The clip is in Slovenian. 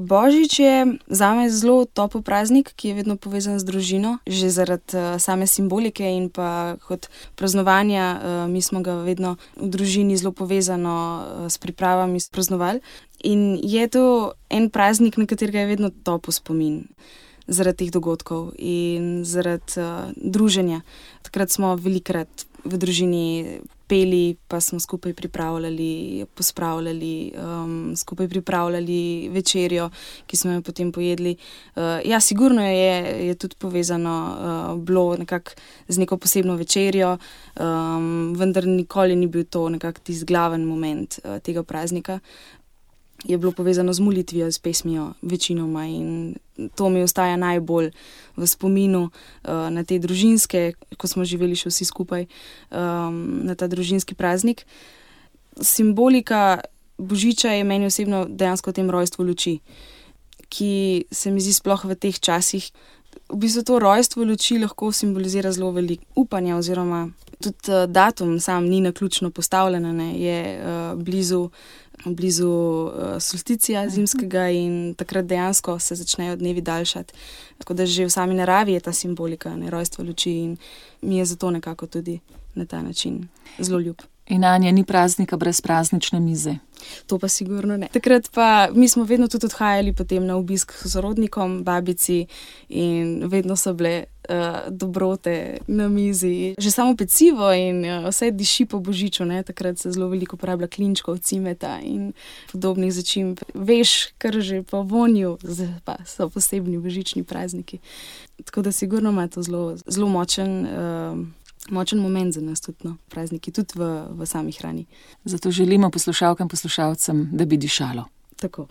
Božič je zame zelo topel praznik, ki je vedno povezan z družino, že zaradi same simbolike in pa kot praznovanja. Mi smo ga vedno v družini zelo povezano s pripravami praznovali. In je to en praznik, na katerega je vedno topel spomin zaradi teh dogodkov in zaradi druženja. Takrat smo velikokrat v družini peli, pa smo skupaj pripravljali, pospravljali, skupaj pripravljali večerjo, ki smo jo potem pojedli. Ja, sigurno je tudi povezano bilo nekako z neko posebno večerjo, vendar nikoli ni bil to nekako tisti glaven moment tega praznika. Je bilo povezano z molitvijo, s pesmijo večinoma in to mi ostaja najbolj v spominu na te družinske, ko smo živeli še vsi skupaj, na ta družinski praznik. Simbolika Božiča je meni osebno dejansko v tem rojstvu luči, ki se mi zdi sploh v teh časih. V bistvu to rojstvo luči lahko simbolizira zelo veliko upanja oziroma tudi datum sam ni naključno postavljen, je blizu solsticija zimskega in takrat dejansko se začnejo dnevi daljšati. Tako da že v sami naravi je ta simbolika, rojstvo luči in mi je zato nekako tudi na ta način zelo ljub. In Anja, ni praznika brez praznične mize? To pa sigurno ne. Takrat pa mi smo vedno tudi odhajali potem na obisk s sorodnikom, babici in vedno so bile dobrote na mizi. Že samo pecivo in vse diši po Božiču, takrat se zelo veliko uporablja klinčkov, cimeta in podobnih začimb. Veš, kar že po vonju, pa so posebni božični prazniki. Tako da sigurno ima to zelo močen moment za nas tudi, prazniki, tudi v sami hrani. Zato želimo poslušalkam, poslušalcem, da bi dišalo. Tako.